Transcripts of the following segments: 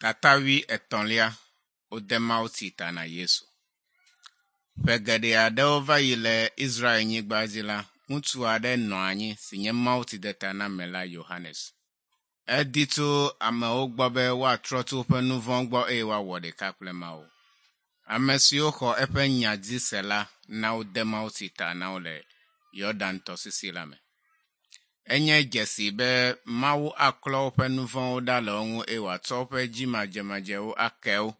Tata wuietɔ̃lia wode mawutsi ta na Yesu. Ƒe geɖe aɖewo va yi le Israelnyigba dzi la, ŋutsu aɖe nɔ anyi si nye mawutsidetanamela Yohanes. Edi tso amewo gbɔ be woatrɔ tso woƒe nu vɔ̃ gbɔ eye woawɔ ɖeka kple Mawu. Ame siwo xɔ eƒe nya dzi se la na wode mawutsi ta na wo le Yɔdan tɔsisi la me. Enye dzesi be Mawu aklɔ woƒe nu vɔ̃wo ɖa le wo ŋu eye wòatsɔ woƒe dzimadzemadzewo ake wo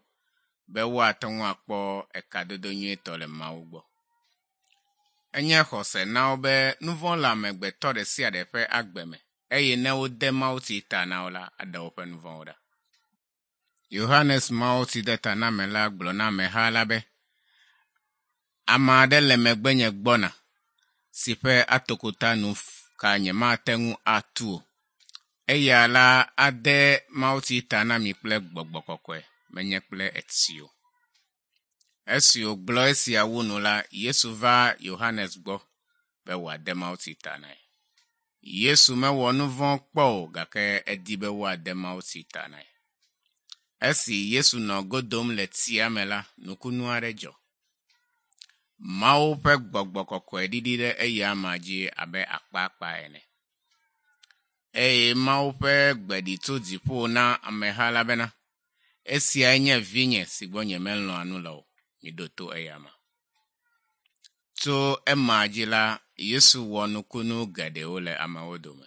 be woate ŋu akpɔ ekadodo nyuietɔ le Mawu gbɔ. Enye xɔse na wo be nu vɔ̃ le amegbetɔ ɖe sia ɖe ƒe agbe me eye ne wode mawutsi ta na wo la, aɖe woƒe nu vɔ̃wo ɖa. Yohanes Mawutsidetanamela gblɔ na ameha la be, Ame aɖe le megbenye gbɔna si ƒe atokota nu ka nyemate ŋu atu o. Eya la ade mawutsi ta na mi kple gbɔgbɔ kɔkɔe, menye kple etsi o. Esi wògblɔ esia wu nu la, Yesu va Yohanes gbɔ be wòade mawutsi ta na ye. Yesu mewɔ nu vɔ̃ kpɔ o gake edi be woade mawutsi ta na ye. Esi Yesu nɔ go dom le tsia me la, nukunu aɖe dzɔ. Mawu ƒe gbɔgbɔ kɔkɔe ɖiɖi ɖe eya amea dzi abe akpaakpa ene. Eye Mawu ƒe gbe ɖi tso dziƒo na ameha la bena, Esiae nye vinye si gbɔ nyemelɔ̃a nu le o, miɖo to eyama. Tso ema dzi la, Yesu wɔ nukunu geɖewo le amewo dome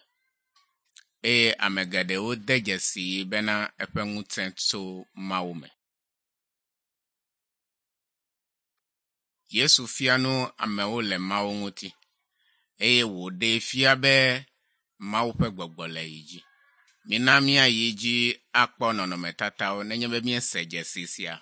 eye ame geɖewo de dzesii bena eƒe ŋusẽ tso Mawu me. Yesu fia nu amewo le Mawu ŋuti eye wòɖee fia be Mawu ƒe gbɔgbɔ le yi dzi. Mina míayi dzi akpɔ nɔnɔmetatawo nenye be míese dzesi sia.